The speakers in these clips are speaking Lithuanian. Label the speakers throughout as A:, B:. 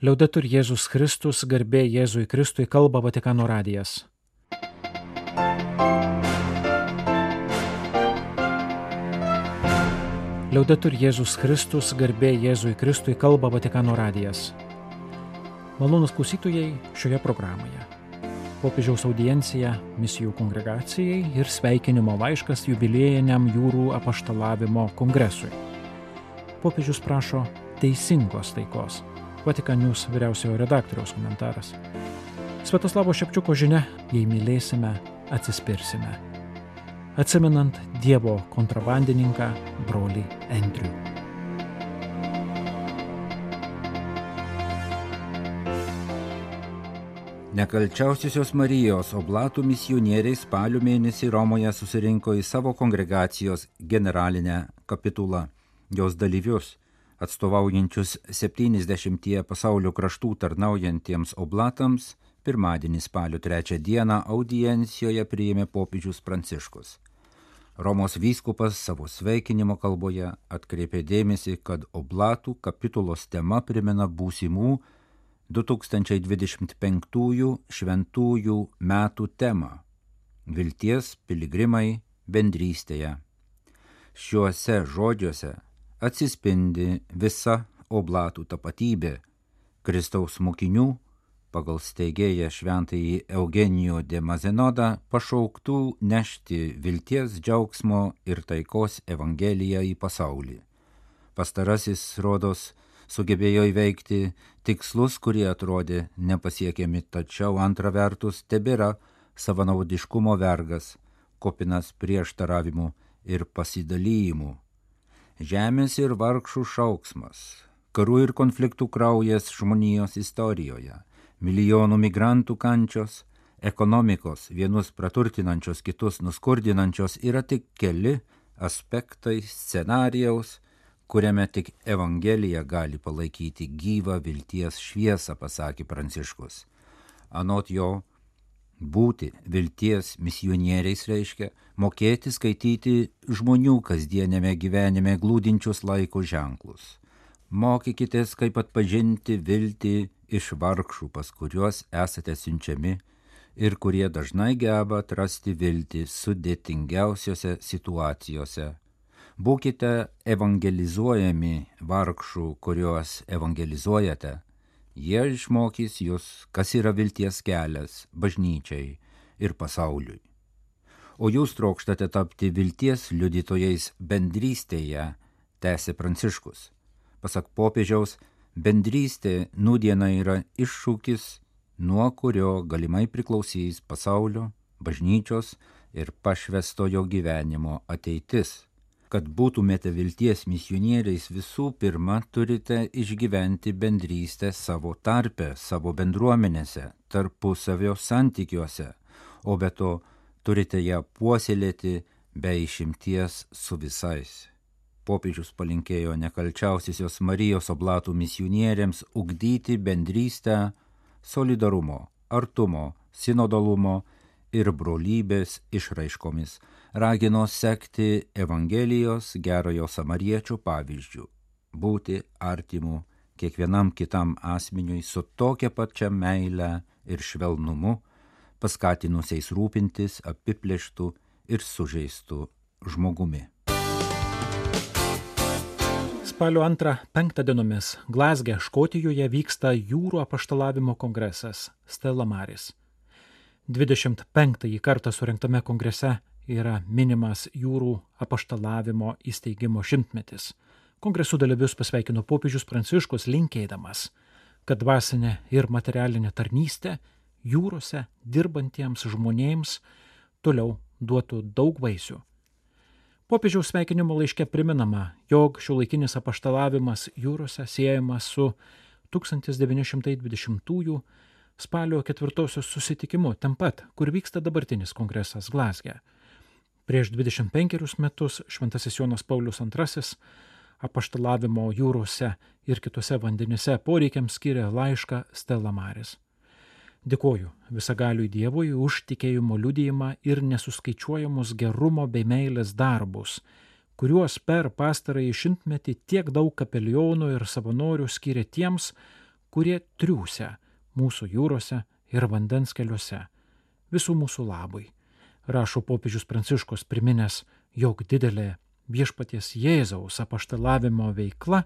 A: Liaudetur Jėzus Kristus, garbė Jėzui Kristui, kalba Vatikano radijas. Liaudetur Jėzus Kristus, garbė Jėzui Kristui, kalba Vatikano radijas. Malonūs klausytojai šioje programoje. Popiežiaus audiencija misijų kongregacijai ir sveikinimo laiškas jubiliejiniam jūrų apaštalavimo kongresui. Popiežius prašo teisingos taikos. Vatikan News vyriausiojo redaktoriaus komentaras. Sviatoslavo Šepčiuko žinia: jei mylėsime, atsispirsime. Atsimenant Dievo kontrabandininką brolį Andrių.
B: Nekalčiausiosios Marijos oblatų misionieriai spalio mėnesį Romoje susirinko į savo kongregacijos generalinę kapitulą. Jos dalyvius, atstovaujančius 70 pasaulio kraštų tarnaujantiems oblatams, pirmadienį spalio 3 dieną audiencijoje priėmė popiežius Pranciškus. Romos vyskupas savo sveikinimo kalboje atkreipė dėmesį, kad oblatų kapitulos tema primena būsimų 2025 šventųjų metų temą – vilties piligrimai bendrystėje. Šiuose žodžiuose atsispindi visa oblatų tapatybė Kristaus mokinių, pagal steigėją šventąjį Eugenijų de Mazenodą, pašauktų nešti vilties, džiaugsmo ir taikos evangeliją į pasaulį. Pastarasis, rodos, sugebėjo įveikti tikslus, kurie atrodė nepasiekiami, tačiau antra vertus tebėra savanaudiškumo vergas, kupinas prieštaravimų ir pasidalijimų. Žemės ir vargšų šauksmas, karų ir konfliktų kraujas žmonijos istorijoje, milijonų migrantų kančios, ekonomikos, vienus praturtinančios, kitus nuskurdinančios yra tik keli aspektai scenarijaus, kuriame tik Evangelija gali palaikyti gyvą vilties šviesą, pasakė Pranciškus. Anot jo, būti vilties misionieriais reiškia mokėti skaityti žmonių kasdienėme gyvenime glūdinčius laiko ženklus. Mokykitės, kaip atpažinti viltį iš vargšų, pas kuriuos esate siunčiami ir kurie dažnai geba atrasti viltį sudėtingiausiose situacijose. Būkite evangelizuojami vargšų, kuriuos evangelizuojate. Jie išmokys jūs, kas yra vilties kelias bažnyčiai ir pasauliui. O jūs trokštate tapti vilties liudytojais bendrystėje, tęsė Pranciškus. Pasak popiežiaus, bendrystė nūdiena yra iššūkis, nuo kurio galimai priklausys pasaulio, bažnyčios ir pašvęstojo gyvenimo ateitis. Kad būtumėte vilties misionieriais, visų pirma turite išgyventi bendrystę savo tarpe, savo bendruomenėse, tarpusavio santykiuose, o be to turite ją puoselėti be išimties su visais. Popiežius palinkėjo nekalčiausiosios Marijos oblatų misionieriams ugdyti bendrystę solidarumo, artumo, sinodalumo ir brolybės išraiškomis, ragino sekti Evangelijos gerojo samariečio pavyzdžiu, būti artimu kiekvienam kitam asmeniui su tokia pačia meile ir švelnumu, paskatinusiais rūpintis apiplėštų ir sužeistų žmogumi.
A: Spalio 2-5 dienomis Glazge, Škotijoje vyksta jūrų apaštalavimo kongresas Stella Maris. 25 kartą surengtame kongrese yra minimas jūrų apaštalavimo įsteigimo 100-metis. Kongresų dalyvius pasveikino popiežius Pranciškus, linkėdamas, kad dvasinė ir materialinė tarnystė jūrose dirbantiems žmonėms toliau duotų daug vaisių. Popiežiaus sveikinimo laiške priminama, jog šiuolaikinis apaštalavimas jūrose siejamas su 1920 spalio 4 susitikimu, ten pat, kur vyksta dabartinis kongresas Glazge. Prieš 25 metus šventasis Jonas Paulius II apaštalavimo jūrose ir kitose vandenyse poreikiams skiria laišką Stella Maris. Dėkoju visagaliui Dievui už tikėjimo liudijimą ir nesuskaičiuojamus gerumo bei meilės darbus, kuriuos per pastarąjį 100-metį tiek daug kapelionų ir savanorių skiria tiems, kurie triūsia mūsų jūrose ir vandens keliuose, visų mūsų labui, rašo popiežius Pranciškus, priminęs, jog didelė viešpaties Jėzaus apaštalavimo veikla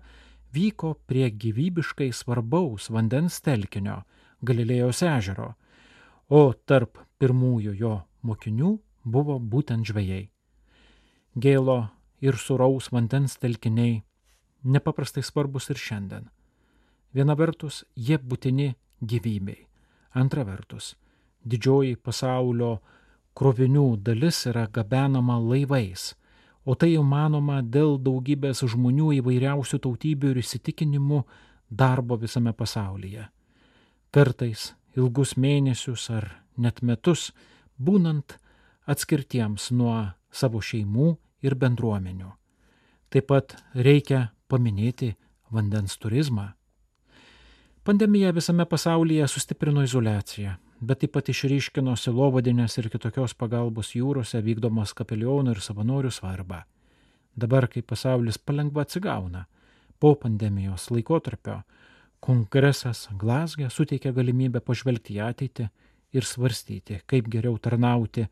A: vyko prie gyvybiškai svarbaus vandens telkinio Galilėjos ežero, o tarp pirmųjų jo mokinių buvo būtent žvejai. Gėlo ir sūraus vandens telkiniai nepaprastai svarbus ir šiandien. Viena vertus, jie būtini gyvybei. Antra vertus, didžioji pasaulio krovinių dalis yra gabenama laivais, o tai įmanoma dėl daugybės žmonių įvairiausių tautybių ir įsitikinimų darbo visame pasaulyje. Kartais ilgus mėnesius ar net metus būnant atskirtiems nuo savo šeimų ir bendruomenių. Taip pat reikia paminėti vandens turizmą. Pandemija visame pasaulyje sustiprino izoliaciją, bet taip pat išryškino sielovadinės ir kitokios pagalbos jūrose vykdomos kapelionų ir savanorių svarbą. Dabar, kai pasaulis palengva atsigauna, po pandemijos laikotarpio, kongresas Glazge suteikia galimybę pažvelgti į ateitį ir svarstyti, kaip geriau tarnauti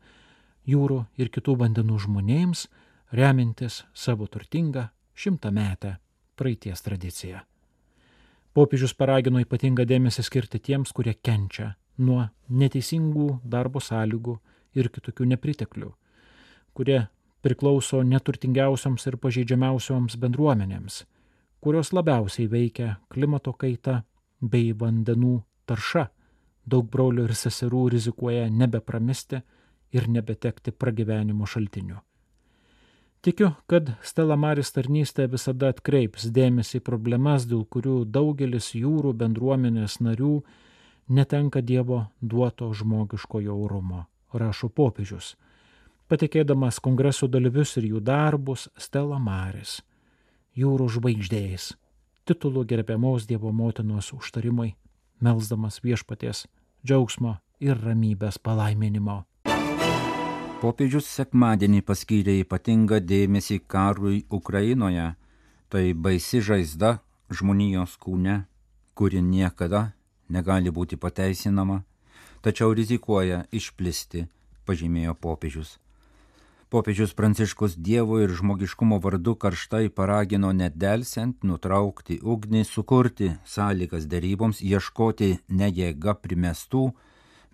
A: jūrų ir kitų vandenų žmonėms, remintis savo turtingą 100-metę praeities tradiciją. Popiežius paragino ypatingą dėmesį skirti tiems, kurie kenčia nuo neteisingų darbo sąlygų ir kitokių nepriteklių, kurie priklauso neturtingiausioms ir pažeidžiamiausioms bendruomenėms, kurios labiausiai veikia klimato kaita bei vandenų tarša. Daug brolių ir seserų rizikuoja nebepramesti ir nebetekti pragyvenimo šaltinių. Tikiu, kad Stella Maris tarnystė visada atkreips dėmesį į problemas, dėl kurių daugelis jūrų bendruomenės narių netenka Dievo duoto žmogiškojo orumo, rašo popiežius, patikėdamas kongreso dalyvius ir jų darbus Stella Maris, jūrų žvaigždės, titulu gerbiamos Dievo motinos užtarimai, melsdamas viešpaties džiaugsmo ir ramybės palaiminimo.
B: Popiežius sekmadienį paskyrė ypatingą dėmesį karui Ukrainoje, tai baisi žaizda žmonijos kūne, kuri niekada negali būti pateisinama, tačiau rizikuoja išplisti, pažymėjo popiežius. Popiežius Pranciškus Dievo ir žmogiškumo vardu karštai paragino nedelsiant nutraukti ugnį, sukurti sąlygas deryboms, ieškoti ne jėga primestų,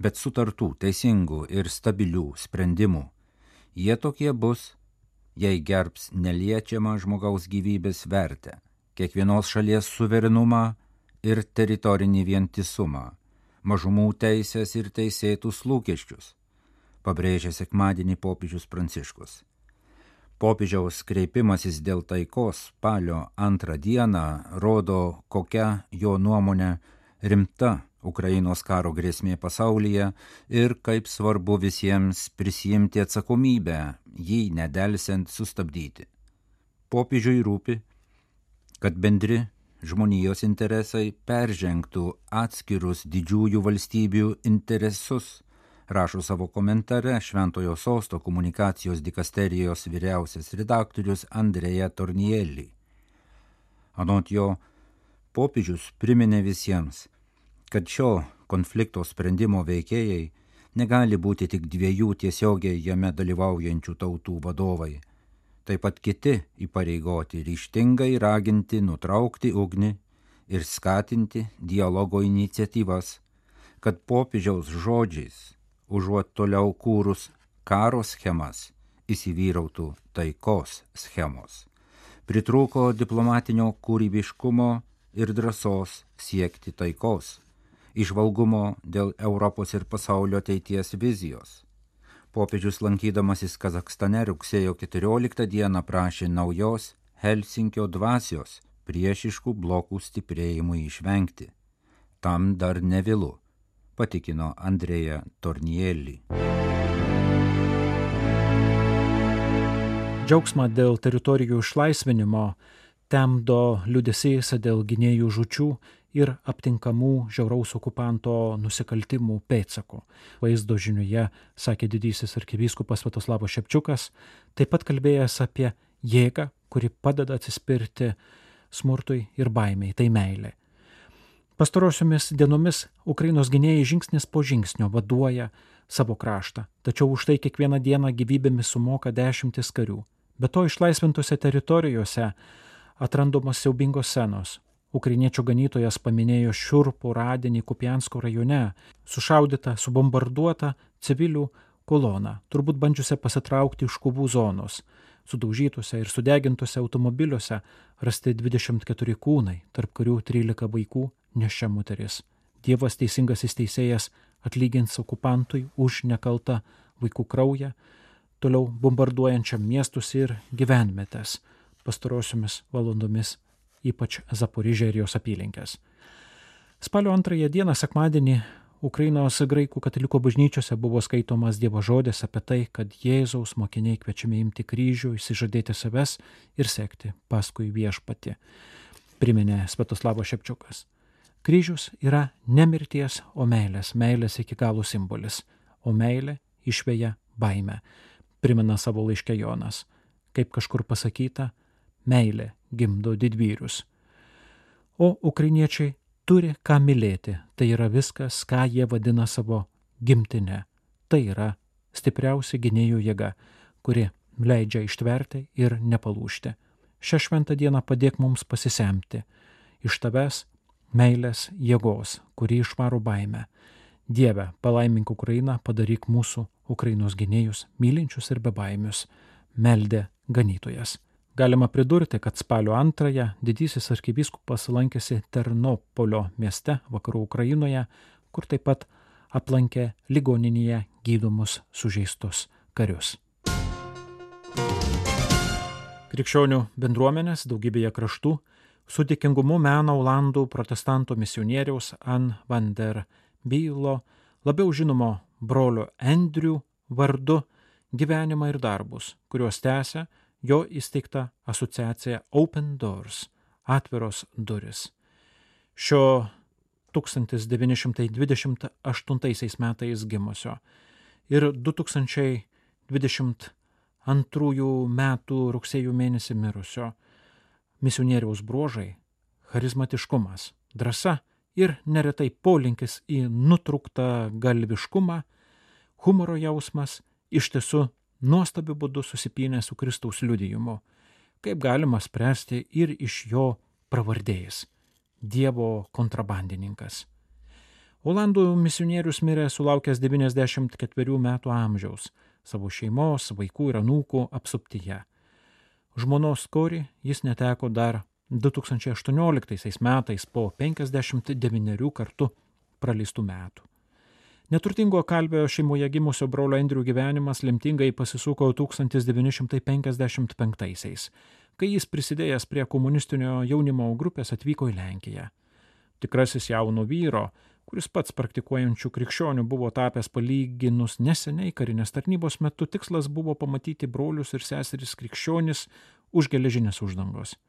B: bet sutartų, teisingų ir stabilių sprendimų. Jie tokie bus, jei gerbs neliečiamą žmogaus gyvybės vertę, kiekvienos šalies suverenumą ir teritorinį vientisumą, mažumų teisės ir teisėtus lūkesčius, pabrėžė sekmadienį popiežius Pranciškus. Popiežiaus kreipimasis dėl taikos spalio 2 dieną rodo, kokia jo nuomonė rimta Ukrainos karo grėsmė pasaulyje ir kaip svarbu visiems prisiimti atsakomybę, jį nedelsiant sustabdyti. Popiežiui rūpi, kad bendri žmonijos interesai peržengtų atskirus didžiųjų valstybių interesus, rašo savo komentare Šventojo Sosto komunikacijos dikasterijos vyriausias redaktorius Andrea Tornielli. Anot jo, popiežius priminė visiems, kad šio konflikto sprendimo veikėjai negali būti tik dviejų tiesiogiai jame dalyvaujančių tautų vadovai. Taip pat kiti įpareigoti ryžtingai raginti nutraukti ugnį ir skatinti dialogo iniciatyvas, kad popiežiaus žodžiais, užuot toliau kūrus karo schemas, įsivyrautų taikos schemos. Pritrūko diplomatinio kūrybiškumo ir drąsos siekti taikos, įžvalgumo dėl Europos ir pasaulio ateities vizijos. Popiežius lankydamasis Kazachstane rugsėjo 14 dieną prašė naujos Helsinkio dvasios priešiškų blokų stiprėjimui išvengti. Tam dar nevėlu, patikino Andrea Tornielli.
A: Džiaugsmą dėl teritorijų išlaisvinimo temdo liūdesys dėl gynėjų žūčių ir aptinkamų žiauraus okupanto nusikaltimų pėdsakų. Vaizdo žiniuje, sakė didysis arkivyskupas Sviatoslavas Šepčiukas, taip pat kalbėjęs apie jėgą, kuri padeda atsispirti smurtui ir baimei, tai meilė. Pastarosiomis dienomis Ukrainos gynėjai žingsnis po žingsnio vaduoja savo kraštą, tačiau už tai kiekvieną dieną gyvybėmis sumoka dešimtis karių. Be to išlaisvintose teritorijose atrandamos siaubingos scenos. Ukrainiečių ganytojas paminėjo šiurpų radinį Kupiansko rajone, sušaudytą, subombarduotą civilių koloną, turbūt bandžiusią pasitraukti iš kovų zonos. Sudaužytuose ir sudegintuose automobiliuose rasti 24 kūnai, tarp kurių 13 vaikų, neščia moteris. Dievas teisingasis teisėjas atlygins okupantui už nekaltą vaikų kraują, toliau bombarduojančiam miestus ir gyvenvietes pastarosiomis valandomis, ypač Zaporižę ir jos apylinkės. Spalio 2 dieną, sekmadienį, Ukrainos graikų katalikų bažnyčiose buvo skaitomas Dievo žodis apie tai, kad Jėzaus mokiniai kviečiami imti kryžių, išsižadėti savęs ir sekti paskui viešpatį, priminė Sviatoslavas Šepčiukas. Kryžius yra ne mirties, o meilės iki galo simbolis, o meilė išveja baimę, primena savo laiške Jonas. Kaip kažkur pasakyta, meilė gimdo didvyrius. O ukrainiečiai turi ką mylėti, tai yra viskas, ką jie vadina savo gimtine. Tai yra stipriausia gynėjų jėga, kuri leidžia ištverti ir nepalūžti. Šią šventą dieną padėk mums pasisemti iš tavęs meilės jėgos, kuri išvaro baimę. Dieve, palaimink Ukrainą, padaryk mūsų Ukrainos gynėjus mylinčius ir bebaimius, meldė ganytojas. Galima pridurti, kad spalio 2 didysis arkivyskupas lankėsi Ternopolio mieste vakarų Ukrainoje, kur taip pat aplankė ligoninėje gydomus sužeistus karius. Krikščionių bendruomenės daugybėje kraštų su dėkingumu mena olandų protestantų misionieriaus Ann van der Bylo, labiau žinomo brolio Andrew vardu, gyvenimą ir darbus, kuriuos tęsia jo įsteigta asociacija Open Doors, atviros duris. Šio 1928 metais gimusio ir 2022 metų rugsėjo mėnesį mirusio misionieriaus bruožai – charizmatiškumas, drąsa ir neretai polinkis į nutrūktą galviškumą, humoro jausmas iš tiesų nuostabiu būdu susipynė su Kristaus liudijimu, kaip galima spręsti ir iš jo pravardės – Dievo kontrabandininkas. Olandų misionierius mirė sulaukęs 94 metų amžiaus, savo šeimos, vaikų ir anūkų apsuptyje. Žmonos Kori jis neteko dar 2018 metais po 59 kartų praleistų metų. Neturtingo kalvio šeimoje gimusio brolio Andrew gyvenimas lemtingai pasisuko 1955, kai jis prisidėjęs prie komunistinio jaunimo grupės atvyko į Lenkiją. Tikrasis jauno vyro, kuris pats praktikuojančių krikščionių buvo tapęs palyginus neseniai karinės tarnybos metu, tikslas buvo pamatyti brolius ir seseris krikščionis už geležinės uždangos.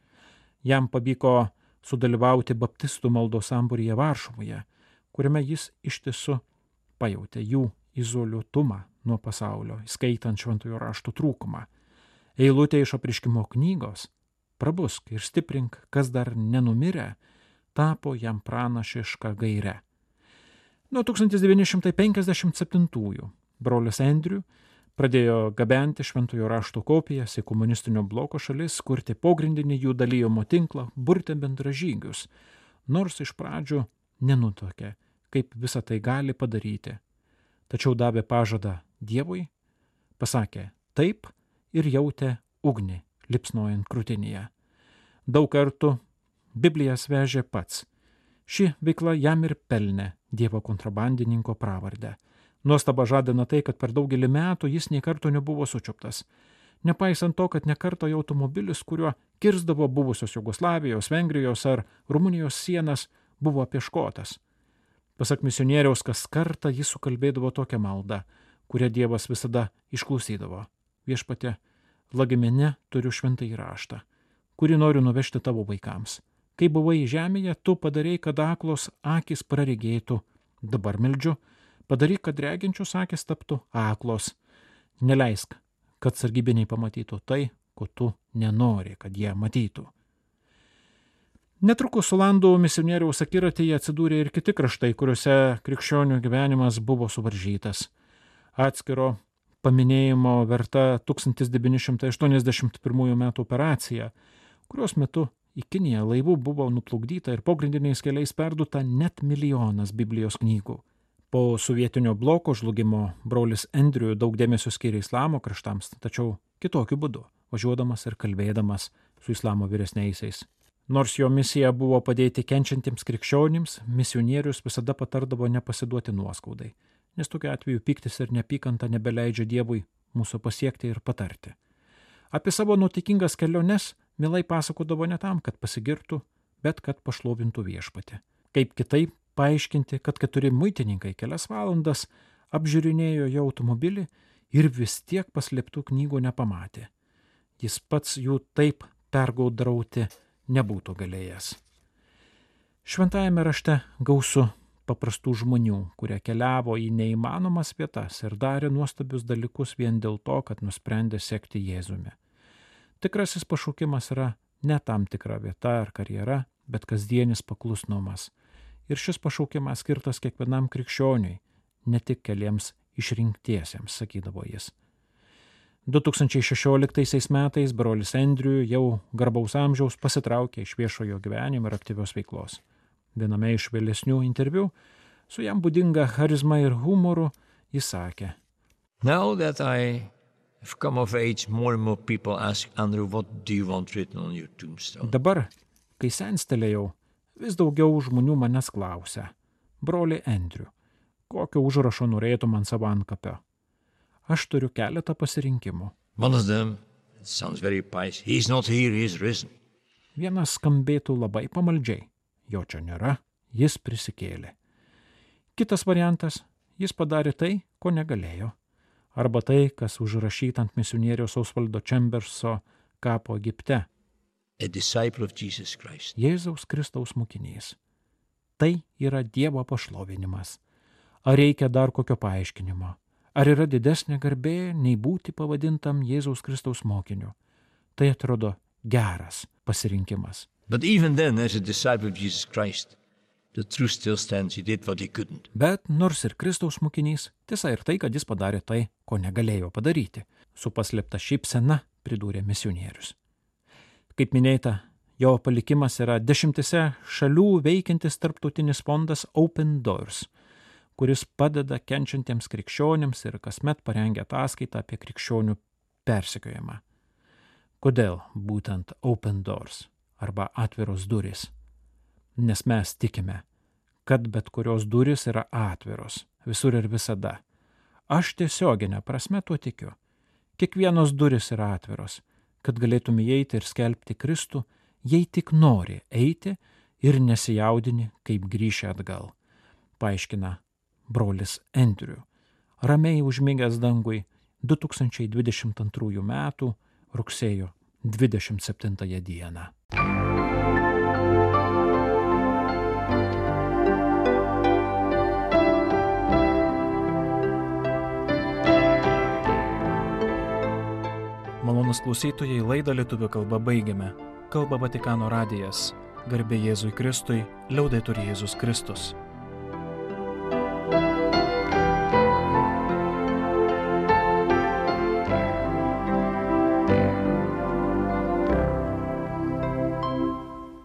A: Jam pavyko sudalyvauti baptistų maldos sambūryje Varšuvoje, kuriame jis iš tiesų pajautė jų izoliuotumą nuo pasaulio, įskaitant šventojo rašto trūkumą. Eilutė iš Apreiškimo knygos "Prabusk ir stiprink, kas dar nenumirė" tapo jam pranašiška gaire. Nuo 1957 brolis Andrew pradėjo gabenti šventojo rašto kopijas į komunistinio bloko šalis, kurti pogrindinį jų dalijimo tinklą, burti bendražygius, nors iš pradžių nenutuokė, kaip visą tai gali padaryti. Tačiau davė pažadą Dievui, pasakė taip ir jautė ugnį lipsnojant krūtinėje. Daug kartų Biblijas vežė pats. Ši veikla jam ir pelnė Dievo kontrabandininko pravardę. Nuostaba žadina tai, kad per daugelį metų jis nė karto nebuvo sučiuptas. Nepaisant to, kad nekarto jo automobilis, kuriuo kirsdavo buvusios Jugoslavijos, Vengrijos ar Rumunijos sienas, buvo apieškotas. Pasak misionieriaus, kas kartą jis sukalbėdavo tokią maldą, kurią Dievas visada išklausydavo. Viešpatie, lagamine turiu šventąjį raštą, kurį noriu nuvežti tavo vaikams. Kai buvai žemėje, tu padarei, kad aklos akis praregėtų. Dabar meldžiu, padaryk, kad reginčios akis taptų aklos. Neleisk, kad sargybiniai pamatytų tai, ko tu nenori, kad jie matytų. Netrukus Olandų misionieriaus akiratyje atsidūrė ir kiti kraštai, kuriuose krikščionių gyvenimas buvo suvaržytas. Atskiro paminėjimo verta 1981 m. operacija, kurios metu į Kiniją laivų buvo nuplukdyta ir pogrindiniais keliais perduota net 1 milijonas Biblijos knygų. Po sovietinio bloko žlugimo brolis Andrew daug dėmesio skiria islamo kraštams, tačiau kitokiu būdu, važiuodamas ir kalbėdamas su islamo vyresniaisiais. Nors jo misija buvo padėti kenčiantiems krikščionims, misionierius visada patardavo nepasiduoti nuoskaudai, nes tokiu atveju pyktis ir neapykanta nebeleidžia Dievui mūsų pasiekti ir patarti. Apie savo nuotaikingas keliones mielai pasakodavo ne tam, kad pasigirtų, bet kad pašlovintų viešpatį. Kaip kitaip paaiškinti, kad 4 muitininkai kelias valandas apžiūrinėjo jo automobilį ir vis tiek paslėptų knygų nepamatė. Jis pats jų taip pergaudrauti nebūtų galėjęs. Šventajame rašte gausu paprastų žmonių, kurie keliavo į neįmanomas vietas ir darė nuostabius dalykus vien dėl to, kad nusprendė sekti Jėzumi. Tikrasis pašaukimas yra ne tam tikra vieta ar karjera, bet kasdienis paklusnumas. Ir šis pašaukimas skirtas kiekvienam krikščioniui, ne tik keliems išrinktiesiems, sakydavo jis. 2016 metais brolis Andrew jau garbaus amžiaus pasitraukė iš viešojo gyvenimo ir aktyvios veiklos. Viename iš vėlesnių interviu su jam būdinga charizma ir humoru jis sakė:
C: Now that I have come of age, more and more people ask, Andrew, what do you want written on your tombstone?
A: Dabar, kai senstelėjau, vis daugiau žmonių manęs klausia: broli Andrew, kokio užrašo norėtum ant savo antkapio? Aš turiu keletą pasirinkimų.
C: One of them, it sounds very pious, he's not here, he's risen.
A: Vienas skambėtų labai pamaldžiai. Jo čia nėra, jis prisikėlė. Kitas variantas, jis padarė tai, ko negalėjo. Arba tai, kas užrašyta ant misionieriaus Osvaldo Chamberso kapo Egipte.
C: A disciple of Jesus Christ.
A: Jėzaus Kristaus mokinys. Tai yra Dievo pašlovinimas. Ar reikia dar kokio paaiškinimo? Ar yra didesnė garbė, nei būti pavadintam Jėzaus Kristaus mokiniu? Tai atrodo geras pasirinkimas.
C: But even then, as a disciple of Jesus Christ, the truth still stands, he did what he couldn't.
A: Bet nors ir Kristaus mokinys, tiesa ir tai, kad jis padarė tai, ko negalėjo padaryti. Su paslėpta šypsena pridūrė misionierius. Kaip minėta, jo palikimas yra 10 šalių veikiantis tarptautinis fondas Open Doors, kuris padeda kenčiantiems krikščionims ir kasmet parengia ataskaitą apie krikščionių persekiojimą. Kodėl būtent Open Doors arba atviros durys? Nes mes tikime, kad bet kurios durys yra atviros, visur ir visada. Aš tiesioginę prasme tuo tikiu. Kiekvienos durys yra atviros, kad galėtum įeiti ir skelbti Kristų, jei tik nori eiti ir nesijaudini, kaip grįši atgal, paaiškina brolis Andrew, ramiai užmigęs dangui 2022 metų rugsėjo 27 dieną. Malonūs klausytojai, laidą lietuvių kalba baigiame. Kalba Vatikano radijas. Garbė Jėzui Kristui, liaudetur Jėzus Kristus.